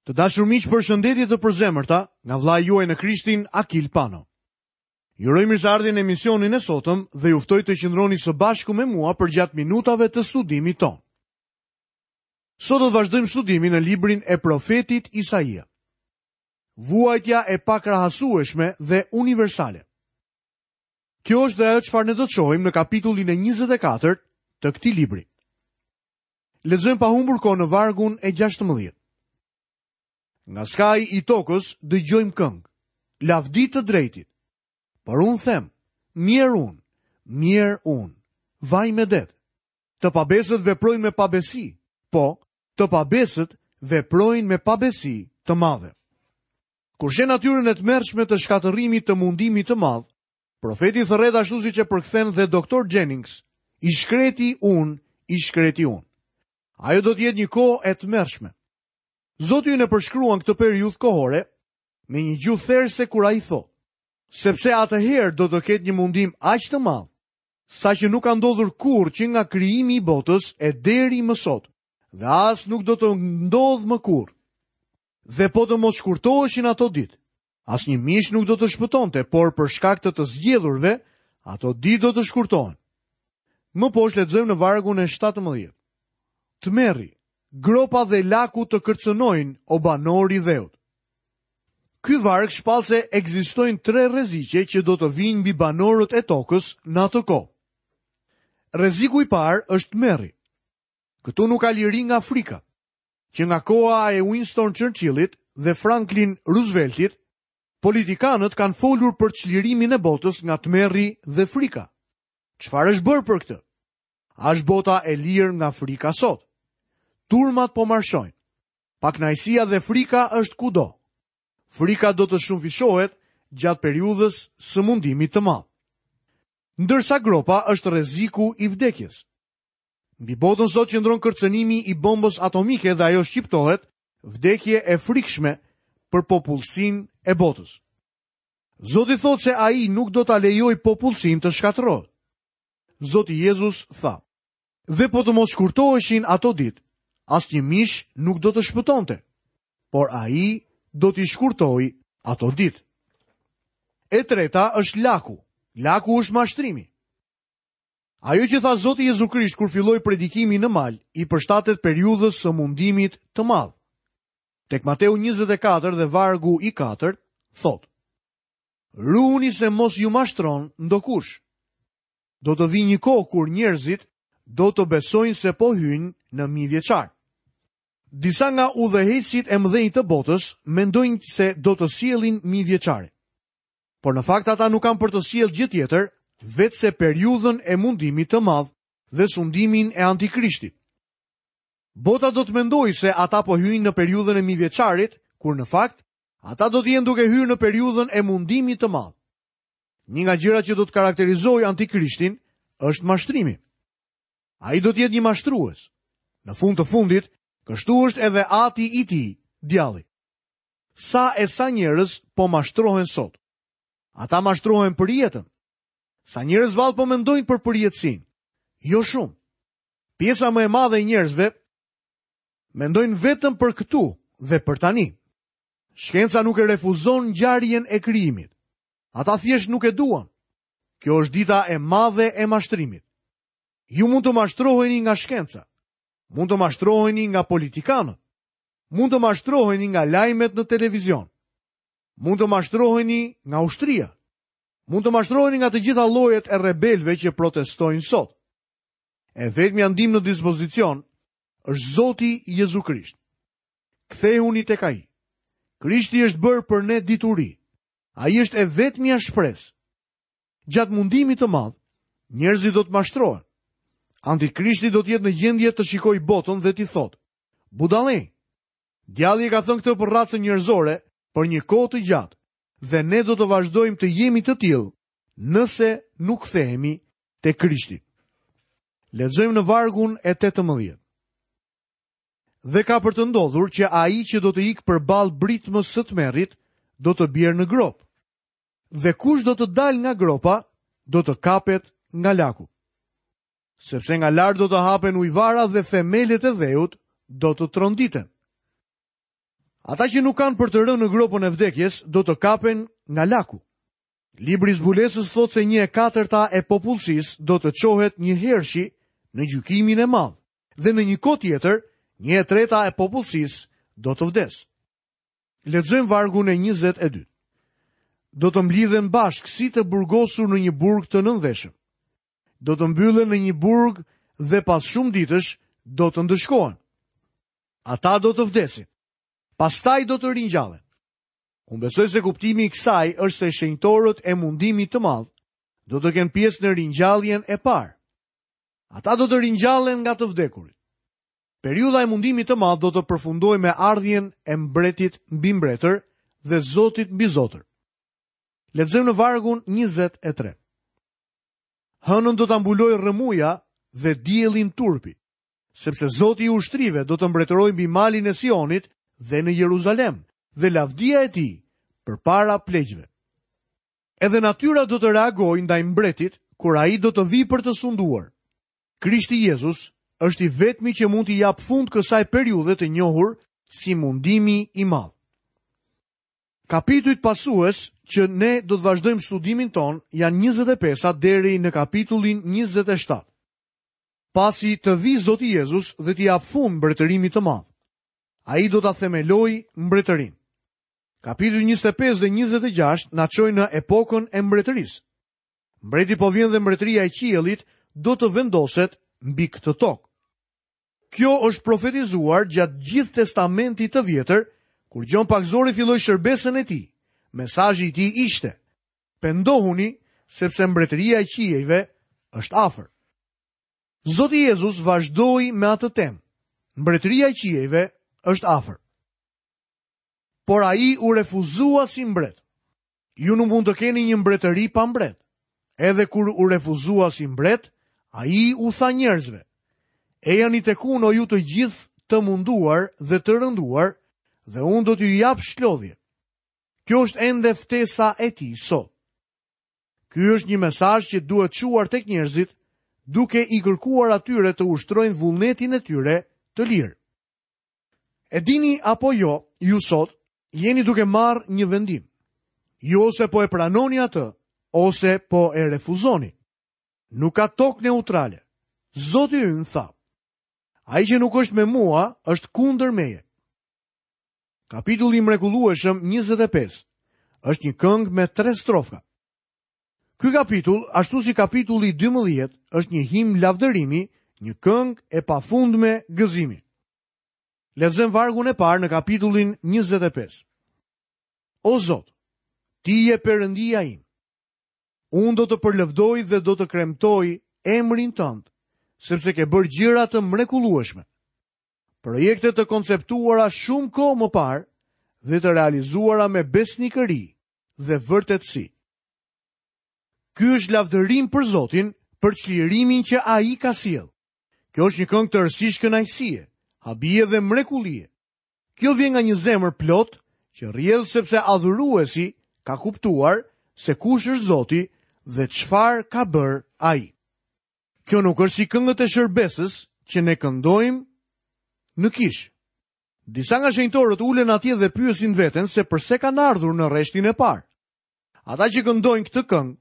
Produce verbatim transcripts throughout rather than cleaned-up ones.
Të dashur miq, përshëndetje të përzemërta nga vëllai juaj në Krishtin Akil Pano. Ju uroj mirëseardhjen në emisionin e sotëm dhe ju ftoj të qëndroni së bashku me mua përgjatë minutave të studimit tonë. Sot do të vazhdojmë studimin në librin e profetit Isaia. Vuajtja e pakrahasueshme dhe universale. Kjo është dhe ajo çfarë ne do të shohim në kapitullin e njëzet e katërt të këtij libri. Lexojmë pa humbur kohë në vargun e gjashtëmbëdhjetë. Nga skaji i tokës dëgjojmë këngë, lavdi të drejtit. Por unë them, mjerë unë, mjerë unë, vaj me det. Të pabesët veprojnë me pabesi, po, të pabesët veprojnë me pabesi të madhe. Kur sheh natyrën e tmerrshme të shkatërrimit të mundimit të madh, profeti thërret ashtu siç e përkthen dhe doktor Jennings, i shkreti unë, i shkreti unë. Ajo do të jetë një kohë e tmerrshme. Zoti ynë e përshkruan këtë periudhë kohore me një gjuhë therëse kur ai thotë, sepse atëherë do të ketë një mundim aq të madh, sa që nuk ka ndodhur kurrë që nga krijimi i botës e deri më sot, dhe as nuk do të ndodhë më kurrë. Dhe po të mos shkurtoheshin ato ditë, asnjë mish nuk do të shpëtonte, por për shkak të të zgjedhurve, ato ditë do të shkurtohen. Më poshtë lexojmë në vargun e shtatëmbëdhjetë. Tmerri, gropa dhe laku të kërcënojnë o banori i dheut. Ky varg shpall se ekzistojnë tre rreziqe që do të vijnë mbi banorët e tokës në atë kohë. Rreziku i parë është tmerri. Këtu nuk ka liri nga frika. Që nga koha e Winston Churchillit dhe Franklin Rooseveltit, politikanët kanë folur për çlirimin e botës nga tmerri dhe frika. Çfarë është bërë për këtë? A është bota e lirë nga frika sot? Turmat po marshojnë. Pakënaqësia dhe frika është kudo. Frika do të shumëfishohet gjatë periudhës së mundimit të madh. Ndërsa gropa është rreziku i vdekjes. Mbi botën sot qëndron kërcënimi i bombës atomike dhe ajo shqiptohet vdekje e frikshme për popullsinë e botës. Zoti thotë se ai nuk do ta lejojë popullsinë të shkatërrohet. Zoti Jezus tha: Dhe po të mos shkurtoheshin ato ditë, asnjë mish nuk do të shpëtonte, por ai do t'i shkurtojë ato ditë. E treta është laku. Laku është mashtrimi. Ajo që tha Zoti Jezu Krisht kur filloi predikimin në mal, i përshtatet periudhës së mundimit të madh. Tek Mateu njëzet e katër dhe vargu i katërt thotë: Ruhuni se mos ju mashtron ndokush. Do të vijë një kohë kur njerëzit do të besojnë se po hyjnë në mijëvjeçar. Disa nga udhëheqësit e mëdhenj të botës mendojnë se do të sjellin mijëvjeçarin. Por në fakt ata nuk kanë për të sjellë gjë tjetër, veçse se periudhën e mundimit të madh dhe sundimin e antikrishtit. Bota do të mendojë se ata po hyjnë në periudhën e mijëvjeçarit, kur në fakt ata do të jenë duke hyrë në periudhën e mundimit të madh. Një nga gjërat që do të karakterizojë antikrishtin është mashtrimi. Ai do të jetë një mashtrues. Në fund të fundit, kështu është edhe ati i tij, djalli. Sa e sa njerëz po mashtrohen sot? Ata mashtrohen për jetën. Sa njerëz vallë po mendojnë për përjetësinë? Jo shumë. Pjesa më e madhe e njerëzve mendojnë vetëm për këtu dhe për tani. Shkenca nuk e refuzon ngjarjen e krijimit. Ata thjesht nuk e duan. Kjo është dita e madhe e mashtrimit. Ju mund të mashtroheni nga shkenca. Mund të mashtroheni nga politikanët. Mund të mashtroheni nga lajmet në televizion. Mund të mashtroheni nga ushtria. Mund të mashtroheni nga të gjitha llojet e rebelëve që protestojnë sot. E vetmja ndihmë në dispozicion është Zoti Jezu Krisht. Kthehuni tek Ai. Krishti është bërë për ne dituri. Ai është e vetmja shpresë. Gjatë mundimit të madh, njerëzit do të mashtrohen. Antikrishti do të jetë në gjendje të shikojë botën dhe t'i thotë: Budallej, djalli e ka thënë këtë për racën njerëzore për një kohë të gjatë dhe ne do të vazhdojmë të jemi të tillë nëse nuk kthehemi te Krishti. Lexojmë në vargun e tetëmbëdhjetë. Dhe ka për të ndodhur që ai që do të ikë përballë britmës së tmerrit do të bjerë në gropë. Dhe kush do të dalë nga gropa, do të kapet nga laku. Sepse nga lart do të hapen ujvara dhe themelet e dheut do të tronditen. Ata që nuk kanë për të rënë në gropën e vdekjes do të kapen nga laku. Libri i Zbulesës thotë se një e katërta e popullsisë do të çohet një hershi në gjykimin e madh dhe në një kohë tjetër një e treta e popullsisë do të vdesë. Lexojmë vargun e njëzet e dy. Do të mblidhen bashkë si të burgosur në një burg të nëndheshëm. Do të mbyllen në një burg dhe pas shumë ditësh do të ndëshkohen. Ata do të vdesin. Pastaj do të ringjallen. Unë besoj se kuptimi i kësaj është se shenjtorët e mundimit të madh do të kenë pjesë në ringjalljen e parë. Ata do të ringjallen nga të vdekurit. Periudha e mundimit të madh do të përfundojë me ardhjen e mbretit mbi mbretër dhe Zotit mbi zotër. Lexojmë në vargun njëzet e tre. Hënën do ta mbulojë rrëmuja dhe diellin turpi, sepse Zoti i ushtrive do të mbretërojë mbi malin e Sionit dhe në Jeruzalem, dhe lavdia e tij përpara pleqve. Edhe natyra do të reagojë ndaj mbretit kur ai do të vijë për të sunduar. Krishti Jezus është i vetmi që mund t'i japë fund kësaj periudhe të njohur si mundimi i madh. Kapitujt pasues që ne do të vazhdojmë studimin ton janë njëzet e pesa deri në kapitullin njëzet e shtatë. Pasi të vijë Zoti Jezus dhe t'i japë fund mbretërimit të madh, ai do ta themelojë mbretërinë. Kapitulli njëzet e pesë dhe njëzet e gjashtë na çojnë në epokën e mbretërisë. Mbreti po vjen dhe mbretëria e qiellit do të vendoset mbi këtë tokë. Kjo është profetizuar gjatë gjithë testamentit të vjetër, kur Gjon Pagëzori filloi shërbesën e tij. Mesazhi i tij ishte: Pendohuni, sepse mbretëria e qiejve është afër. Zoti Jezus vazhdoi me atë temë. Mbretëria e qiejve është afër. Por ai u refuzua si mbret. Ju nuk mund të keni një mbretëri pa mbret. Edhe kur u refuzua si mbret, ai u tha njerëzve: Ejani tek unë, o ju të gjithë të munduar dhe të rënduar, dhe unë do t'ju jap shlodhje. Kjo është ende ftesa e tij sot. Ky është një mesazh që duhet çuar tek njerëzit, duke i kërkuar atyre të ushtrojnë vullnetin e tyre të lirë. E dini apo jo, ju sot jeni duke marrë një vendim. Ju ose po e pranoni atë, ose po e refuzoni. Nuk ka tokë neutrale. Zoti ynë tha: Ai që nuk është me mua është kundër meje. Kapitulli i mrekullueshëm njëzet e pesë është një këngë me tre strofa. Ky kapitull, ashtu si kapitulli dymbëdhjetë, është një himn lavdërimi, një këngë e pafundme gëzimi. Lexojmë vargun e parë në kapitullin njëzet e pesë. O Zot, ti je Perëndia im. Unë do të përlëvdoj dhe do të kremtoj emrin tënd, sepse ke bërë gjëra të mrekullueshme. Projekte të konceptuara shumë kohë më parë dhe të realizuara me besnikëri dhe vërtetësi. Ky është lavdërim për Zotin, për çlirimin që ai ka sjellë. Kjo është një këngë tërësisht kënaqësie, habie dhe mrekullie. Kjo vjen nga një zemër plot që rrjedh sepse adhuruesi ka kuptuar se kush është Zoti dhe çfarë ka bërë ai. Kjo nuk është si këngët e shërbesës që ne këndojmë në kishë. Disa nga shenjtorët ulen atje dhe pyesin veten se përse kanë ardhur në rreshtin e parë. Ata që këndojnë këtë këngë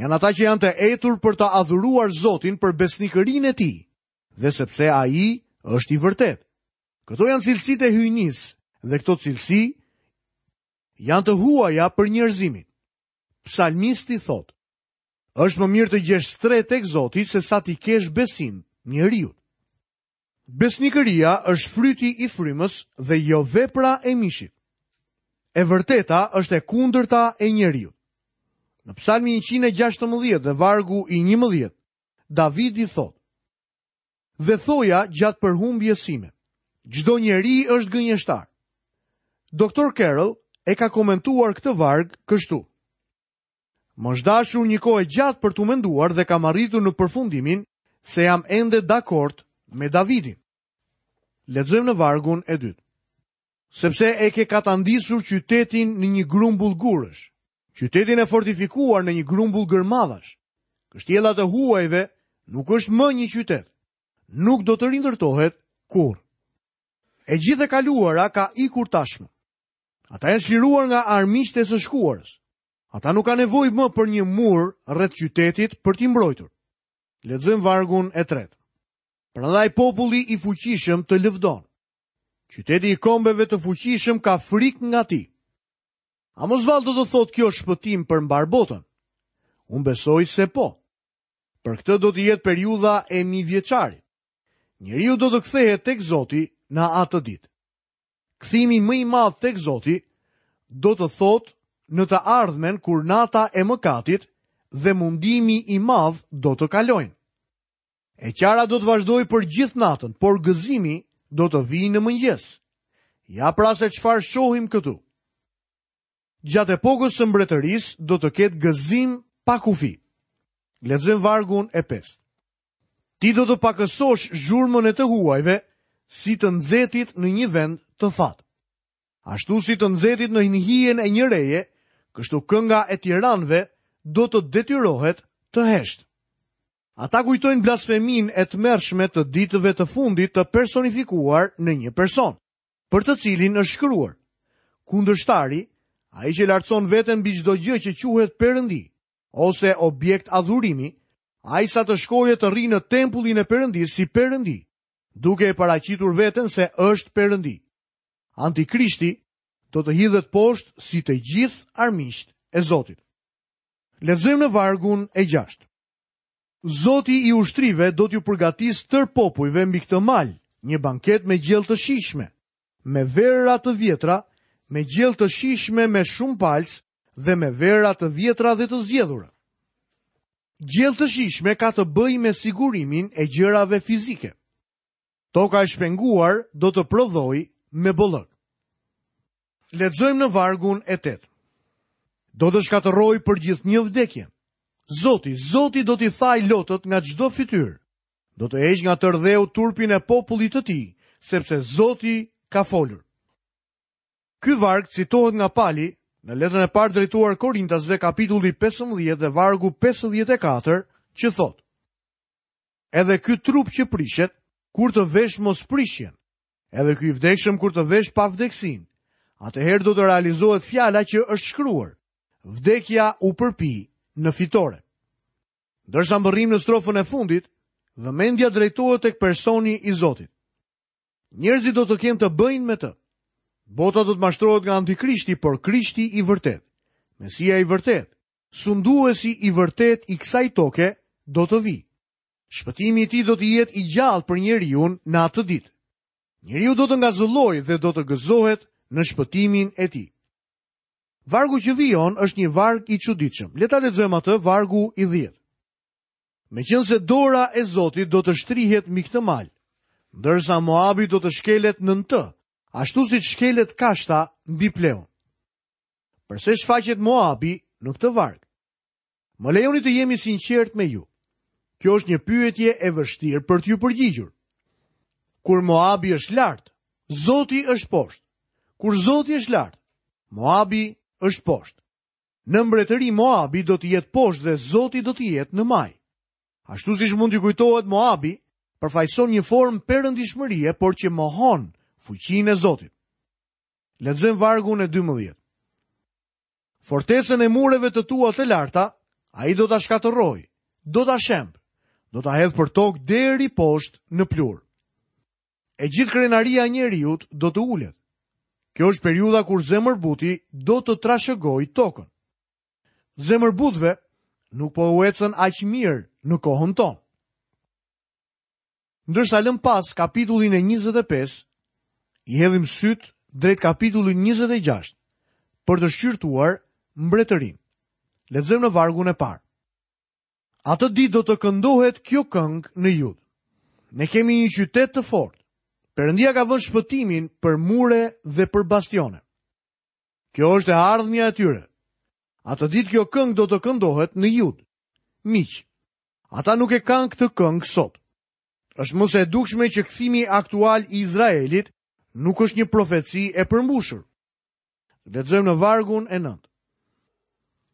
janë ata që janë të etur për të adhuruar Zotin për besnikërinë e tij dhe sepse ai është i vërtetë. Këto janë cilësitë e hyjnisë dhe këto cilësi janë të huaja për njerëzimin. Psalmisti thotë: Është më mirë të gjesh strehë tek Zoti se sa t'i kesh besim njeriut. Besnikëria është fryti i frymës dhe jo vepra e mishit. E vërteta është e kundërta e njeriut. Në Psalmi njëqind e gjashtëmbëdhjetë dhe vargu i njëmbëdhjetë, Davidi thotë: Dhe thoja gjatë përhumbjes sime, çdo njeri është gënjeshtar. Doktor Carroll e ka komentuar këtë varg kështu: Më është dashur një kohë e gjatë për t'u menduar dhe kam arritur në përfundimin se jam ende dakord me Davidin. Lexojmë në vargun e dytë. Sepse e ke katandisur qytetin në një grumbull gurësh, qytetin e fortifikuar në një grumbull gërmadhash. Kështjellat e huajve nuk është më një qytet, nuk do të rindërtohet kurrë. E gjithë e kaluara ka ikur tashmë. Ata janë çliruar nga armiqtë e së shkuarës. Ata nuk kanë nevojë më për një mur rreth qytetit për t'i mbrojtur. Lexojmë vargun e tretë. Prandaj populli i fuqishëm të lëvdon. Qyteti i kombeve të fuqishëm ka frikë nga ti. A mos vallë do të thotë kjo shpëtim për mbar botën? Unë besoj se po. Për këtë do të jetë periudha e mijëvjeçarit. Njeriu do të kthehet tek Zoti në atë ditë. Kthimi më i madh tek Zoti do të thotë në të ardhmen kur nata e mëkatit dhe mundimi i madh do të kalojnë. E qara do të vazhdojë për gjithë natën, por gëzimi do të vijë në mëngjes. Ja pra se çfarë shohim këtu. Gjatë epokës së mbretërisë do të ketë gëzim pa kufi. Lexojmë vargun e pestë. Ti do të pakësosh zhurmën e të huajve si të nxehtit në një vend të thatë. Ashtu si të nxehtit në hijen e një reje, kështu kënga e tiranëve do të detyrohet të heshtë. Ata kujtojnë blasfeminë e tmerrshme të ditëve të fundit të personifikuar në një person, për të cilin është shkruar: Kundërshtari, ai që lartëson veten mbi çdo gjë që quhet perëndi ose objekt adhurimi, ai sa të shkojë të rri në tempullin e Perëndisë si perëndi, duke e paraqitur veten se është perëndi. Antikrishti do të hidhet poshtë si të gjithë armiqtë e Zotit. Lexojmë në vargun e gjashtë. Zoti i ushtrive do t'ju përgatisë tër popujve mbi këtë mal, një banket me gjellë të shijshme, me vera të vjetra, me gjellë të shijshme me shumë palcë dhe me vera të vjetra dhe të zgjedhura. Gjellë të shijshme ka të bëjë me sigurimin e gjërave fizike. Toka e shpenguar do të prodhojë me bollëk. Lexojmë në vargun e tetë. Do të shkatërroj për gjithnjë vdekjen. Zoti, Zoti do t'i thaj lotët nga çdo fytyrë. Do të heq nga tërdheu turpin e popullit të tij, sepse Zoti ka folur. Ky varg citohet nga Pali në letrën e parë drejtuar Korintasve, kapitulli pesëmbëdhjetë dhe vargu pesëdhjetë e katër, që thotë: Edhe ky trup që prishet, kur të vesh mos prishjen, edhe ky i vdekshëm kur të vesh pavdekësinë, atëherë do të realizohet fjala që është shkruar: Vdekja u përpi në fitore. Ndërsa mbërrim në strofën e fundit, vëmendja drejtohet tek personi i Zotit. Njerëzit do të kenë të bëjnë me të. Bota do të mashtrohet nga antikrishti, por Krishti i vërtet, Mesia i vërtet, sunduesi i vërtet i kësaj toke do të vijë. Shpëtimi i tij do të jetë i gjallë për njeriun në atë ditë. Njeriu do të ngazëllojë dhe do të gëzohet në shpëtimin e tij. Vargu që vijon është një varg i çuditshëm. Le ta lexojmë atë, vargu i dhjetë. Meqense dora e Zotit do të shtrihet mbi këtë mal, ndërsa Moabi do të shkelet nën të, ashtu siç shkelet kashta mbi pleun. Përse shfaqet Moabi në këtë varg? Më lejoni të jemi sinqert me ju. Kjo është një pyetje e vështirë për t'ju përgjigjur. Kur Moabi është lart, Zoti është poshtë. Kur Zoti është lart, Moabi është poshtë. Në mbretëri Moabi do të jetë poshtë dhe Zoti do të jetë në maj. Ashtu siç mund t'ju kujtohet, Moabi përfaqëson një formë perëndishmërie, por që mohon fuqinë e Zotit. Lexojmë vargun e dymbëdhjetë. Fortesën e mureve të tua të larta, ai do ta shkatërrojë, do ta shemb, do ta hedh për tokë deri poshtë në plur. E gjithë krenaria e njeriut do të ulet. Kjo është periudha kur zemërbuti do të trashëgojë tokën. Zemërbutëve nuk po u ecën aq mirë në kohën tonë. Ndërsa lëm pas kapitullin e njëzet e pesë, i hedhim syt drejt kapitullit njëzet e gjashtë për të shqyrtuar mbretërinë. Lexojmë në vargun e parë. Atë ditë do të këndohet kjo këngë në Jud. Ne kemi një qytet të fortë. Perëndia ka vënë shpëtimin për mure dhe për bastione. Kjo është e ardhmja e tyre. Atë ditë kjo këngë do të këndohet në Jud. Miq, ata nuk e kanë këtë këngë sot. Është më se e dukshme që kthimi aktual i Izraelit nuk është një profeci e përmbushur. Lexojmë në vargun e nëntë.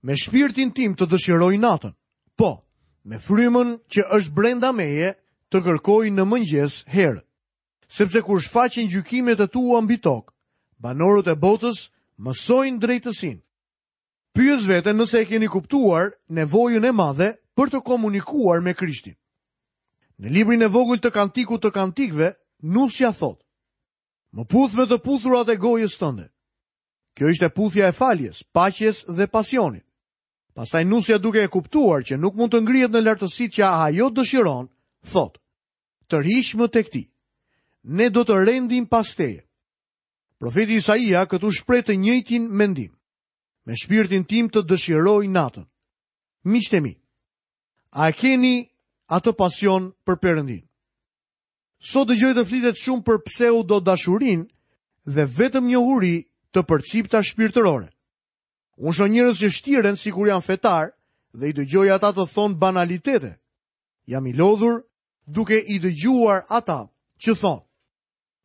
Me shpirtin tim të dëshiroj natën, po, me frymën që është brenda meje të kërkoj në mëngjes herët. Sepse kur shfaqen gjykimet e tua mbi tokë, banorët e botës mësojnë drejtësinë. Pyes veten nëse e keni kuptuar nevojën e madhe për të komunikuar me Krishtin. Në librin e vogël të Kantikut të Kantikëve, nusja thotë: Më puth me të puthurat e gojës tënde. Kjo ishte puthja e faljes, paqes dhe pasionit. Pastaj nusja, duke e kuptuar që nuk mund të ngrihet në lartësitë që ajo dëshiron, thotë: Tërhiq më tek ti. Ne do të rendim pas teje. Profeti Isaia këtu shpreh të njëjtin mendim. Me shpirtin tim të dëshiroj natën. Miqtë e mi, a e keni atë pasion për Perëndin? Sot dëgjoj të flitet shumë për pseudo dashurinë dhe vetëm njohuri të përcipta shpirtërore. Unë shoh njerëz që shtiren sikur janë fetar dhe i dëgjoj ata të thonë banalitete. Jam i lodhur duke i dëgjuar ata që thonë: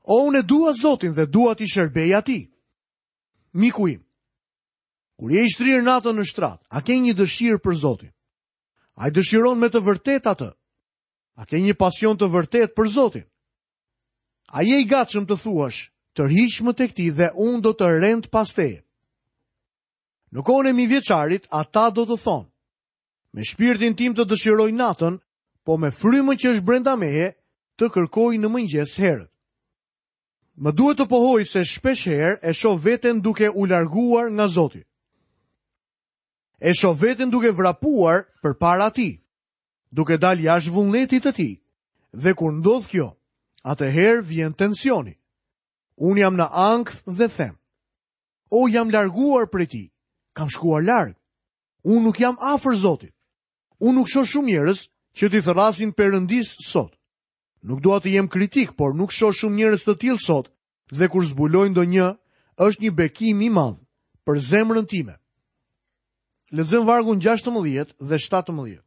O, unë e dua Zotin dhe dua t'i shërbej atij. Miku im, kur je i shtrirë natën në shtrat, a ke një dëshirë për Zotin? A i dëshiron me të vërtetë atë? A ke një pasion të vërtetë për Zotin? A je i gatshëm të thuash: tërhiq më tek ti dhe unë do të rend pas teje? Në kohën e mijëvjeçarit, ata do të thonë: Me shpirtin tim të dëshiroj natën, po me frymën që është brenda meje, të kërkoj në mëngjes herët. Më duhet të pohoj se shpesh herë e shoh veten duke u larguar nga Zoti. E shoh veten duke vrapuar përpara tij, duke dalë jashtë vullnetit të tij. Dhe kur ndodh kjo, atëherë vjen tensioni. Unë jam në ankth dhe them: O, jam larguar prej tij, kam shkuar larg. Unë nuk jam afër Zotit. Unë nuk shoh shumë njerëz që t'i thërrasin Perëndis sot. Nuk dua të jem kritik, por nuk shoh shumë njerëz të tillë sot, dhe kur zbuloj ndonjë, është një bekim i madh për zemrën time. Lexojmë vargun gjashtëmbëdhjetë dhe shtatëmbëdhjetë.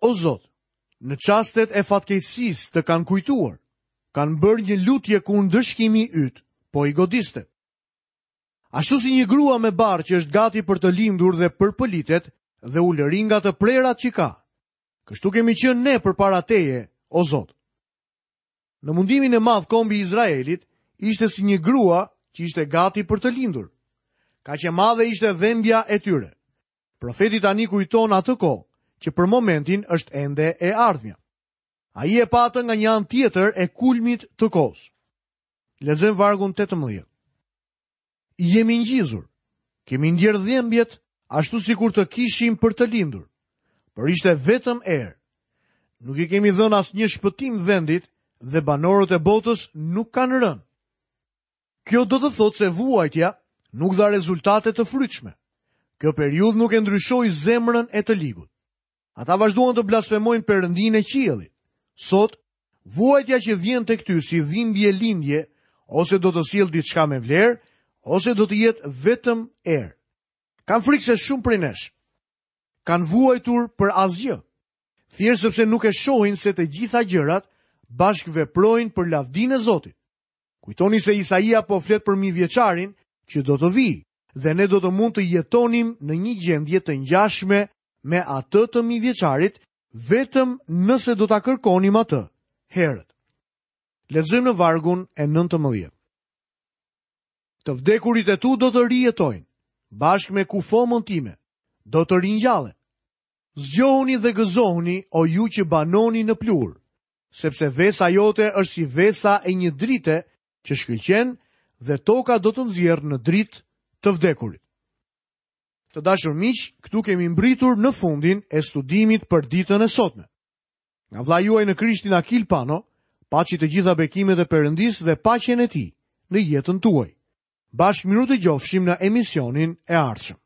O Zot, në çastet e fatkeqësisë të kanë kujtuar, kanë bërë një lutje kur ndëshkimi yt po i godiste. Ashtu si një grua me barrë që është gati për të lindur dhe përpëlitet dhe ulërin nga të prerat që ka, kështu kemi qenë ne përpara teje, o Zot. Në mundimin e madh kombi i Izraelit ishte si një grua që ishte gati për të lindur. Kaq e madhe ishte dhembja e tyre. Profeti tani kujton atë kohë që për momentin është ende e ardhmja. Ai e pa atë nga një anë tjetër e kulmit të kohës. Lexojmë vargun tetëmbëdhjetë. Jemi ngjizur, kemi ndjerë dhembjet ashtu sikur të kishim për të lindur, por ishte vetëm erë. Nuk i kemi dhënë asnjë shpëtim vendit dhe banorët e botës nuk kanë rënë. Kjo do të thotë se vuajtja nuk dha rezultate të frytshme. Kjo periudhë nuk e ndryshoi zemrën e të ligut. Ata vazhduan të blasfemojnë Perëndinë e qiellit. Sot, vuajtja që vjen tek ty si dhimbje lindje, ose do të sjellë diçka me vlerë, ose do të jetë vetëm erë. Kam frikë se shumë prej nesh kanë vuajtur për asgjë, thjesht sepse nuk e shohin se të gjitha gjërat bashkëveprojnë për lavdinë e Zotit. Kujtoni se Isaia po flet për mijëvjeçarin që do të vijë dhe ne do të mund të jetonim në një gjendje të ngjashme me atë të mijëvjeçarit, vetëm nëse do ta kërkonim atë herët. Lexojmë në vargun e nëntëmbëdhjetë. Të vdekurit e tu do të rijetojnë, bashkë me kufomën time, do të ringjallen. Zgjohuni dhe gëzohuni, o ju që banoni në pluhur, sepse vesa jote është si vesa e një drite që shkëlqen dhe toka do të nxjerrë në dritë të vdekurit. Të dashur miq, këtu kemi mbritur në fundin e studimit për ditën e sotme. Nga vëllai juaj në Krishtin Akil Pano, paçi të gjitha bekimet e Perëndisë dhe paqen e tij në jetën tuaj. Bashkë mirudëgjofshim në emisionin e ardhshëm.